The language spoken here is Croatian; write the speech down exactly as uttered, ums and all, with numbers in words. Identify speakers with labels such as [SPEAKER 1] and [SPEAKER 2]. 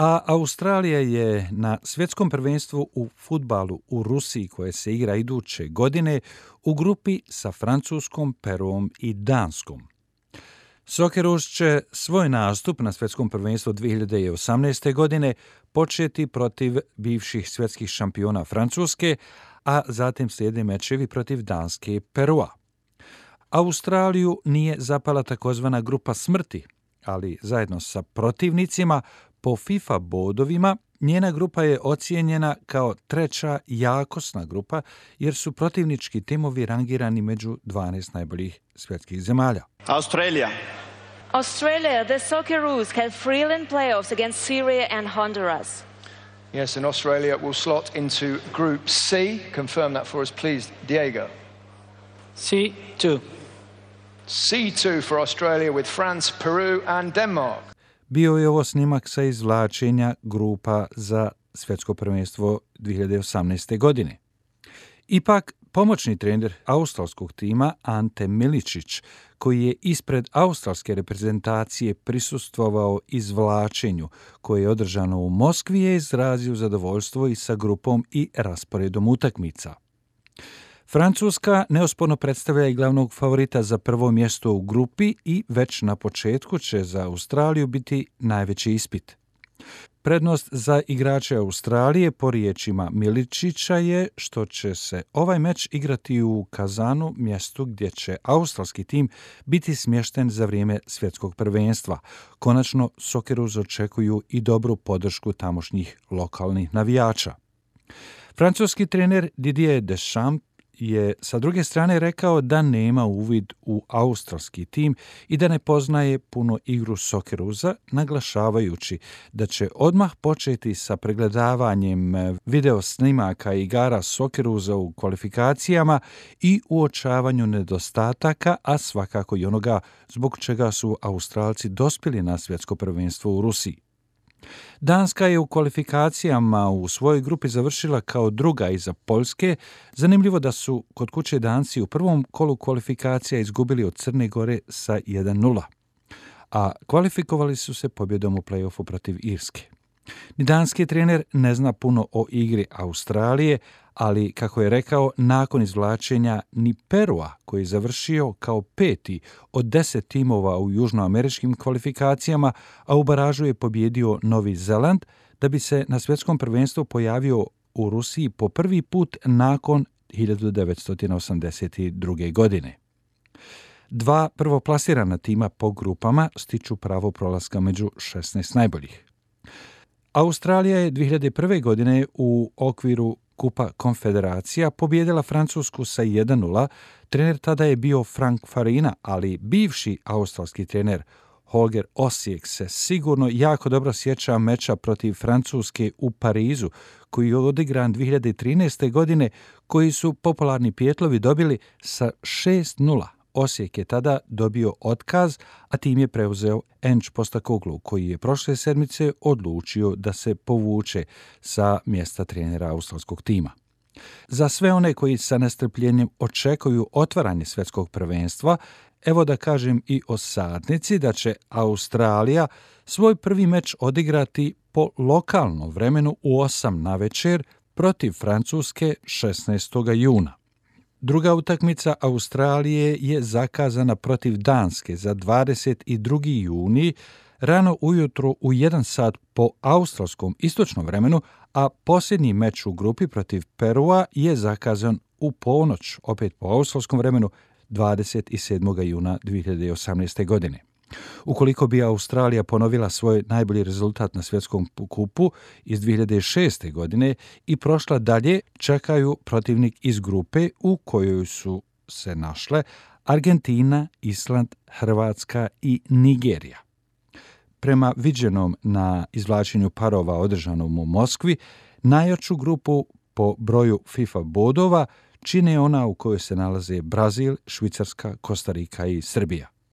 [SPEAKER 1] A Australija je na svjetskom prvenstvu u fudbalu u Rusiji, koje se igra iduće godine, u grupi sa Francuskom, Peruom i Danskom. Socceroos će svoj nastup na svjetskom prvenstvu dvije hiljade osamnaeste. godine početi protiv bivših svjetskih šampiona Francuske, a zatim slijede mečevi protiv Danske i Perua. Australiju nije zapala takozvana grupa smrti, ali zajedno sa protivnicima po FIFA bodovima njena grupa je ocijenjena kao treća jakosna grupa jer su protivnički timovi rangirani među dvanaest najboljih svjetskih zemalja.
[SPEAKER 2] Australia.
[SPEAKER 3] Australia, the Socceroos have three-line playoffs against Syria and Honduras.
[SPEAKER 4] Yes, and Australia will slot into Group C. Confirm that for us, please, Diego.
[SPEAKER 5] C two.
[SPEAKER 4] C two for Australia with France, Peru and Denmark.
[SPEAKER 1] Bio je ovo snimak sa izvlačenja grupa za svjetsko prvenstvo dvije hiljade osamnaeste. godine. Ipak, pomoćni trener australskog tima Ante Miličić, koji je ispred australske reprezentacije prisustvovao izvlačenju koje je održano u Moskvi, je izrazio zadovoljstvo i sa grupom i rasporedom utakmica. Francuska neosporno predstavlja i glavnog favorita za prvo mjesto u grupi i već na početku će za Australiju biti najveći ispit. Prednost za igrače Australije, po riječima Miličića, je što će se ovaj meč igrati u Kazanu, mjestu gdje će australski tim biti smješten za vrijeme svjetskog prvenstva. Konačno, Socceroos očekuju i dobru podršku tamošnjih lokalnih navijača. Francuski trener Didier Deschamps je sa druge strane rekao da nema uvid u australski tim i da ne poznaje puno igru Socceroosa, naglašavajući da će odmah početi sa pregledavanjem video snimaka igara Socceroosa u kvalifikacijama i uočavanju nedostataka, a svakako i onoga zbog čega su Australci dospjeli na svjetsko prvenstvo u Rusiji. Danska je u kvalifikacijama u svojoj grupi završila kao druga iza Poljske. Zanimljivo da su kod kuće Danci u prvom kolu kvalifikacija izgubili od Crne Gore sa jedan nula, a kvalifikovali su se pobjedom u play-offu protiv Irske. Ni danski trener ne zna puno o igri Australije, ali, kako je rekao, nakon izvlačenja ni Perua, koji je završio kao peti od deset timova u južnoameričkim kvalifikacijama, a u baražu je pobjedio Novi Zeland, da bi se na svjetskom prvenstvu pojavio u Rusiji po prvi put nakon hiljadu devetsto osamdeset druge. godine. Dva prvoplasirana tima po grupama stiču pravo prolaska među šesnaest najboljih. Australija je dvije hiljade prve. godine u okviru Kupa konfederacija pobjedila Francusku sa jedan nula. Trener tada je bio Frank Farina, ali bivši australski trener Holger Osijek se sigurno jako dobro sjeća meča protiv Francuske u Parizu, koji je odigran dvije hiljade trinaeste. godine, koji su popularni pijetlovi dobili sa šest nula. Osijek je tada dobio otkaz, a tim je preuzeo Enč Postakoglu, koji je prošle sedmice odlučio da se povuče sa mjesta trenera australskog tima. Za sve one koji sa nestrpljenjem očekuju otvaranje svjetskog prvenstva, evo da kažem i o satnici da će Australija svoj prvi meč odigrati po lokalnom vremenu u osam navečer protiv Francuske šesnaestog juna. Druga utakmica Australije je zakazana protiv Danske za dvadeset drugi juni rano ujutro u jedan sat po australskom istočnom vremenu, a posljednji meč u grupi protiv Perua je zakazan u ponoć, opet po australskom vremenu, dvadeset sedmog juna dvije hiljade osamnaeste. godine. Ukoliko bi Australija ponovila svoj najbolji rezultat na svjetskom kupu iz dvije hiljade šeste. godine i prošla dalje, čekaju protivnik iz grupe u kojoj su se našle Argentina, Island, Hrvatska i Nigerija. Prema viđenom na izvlačenju parova održanom u Moskvi, najjaču grupu po broju FIFA bodova čine ona u kojoj se nalaze Brazil, Švicarska, Kostarika i Srbija.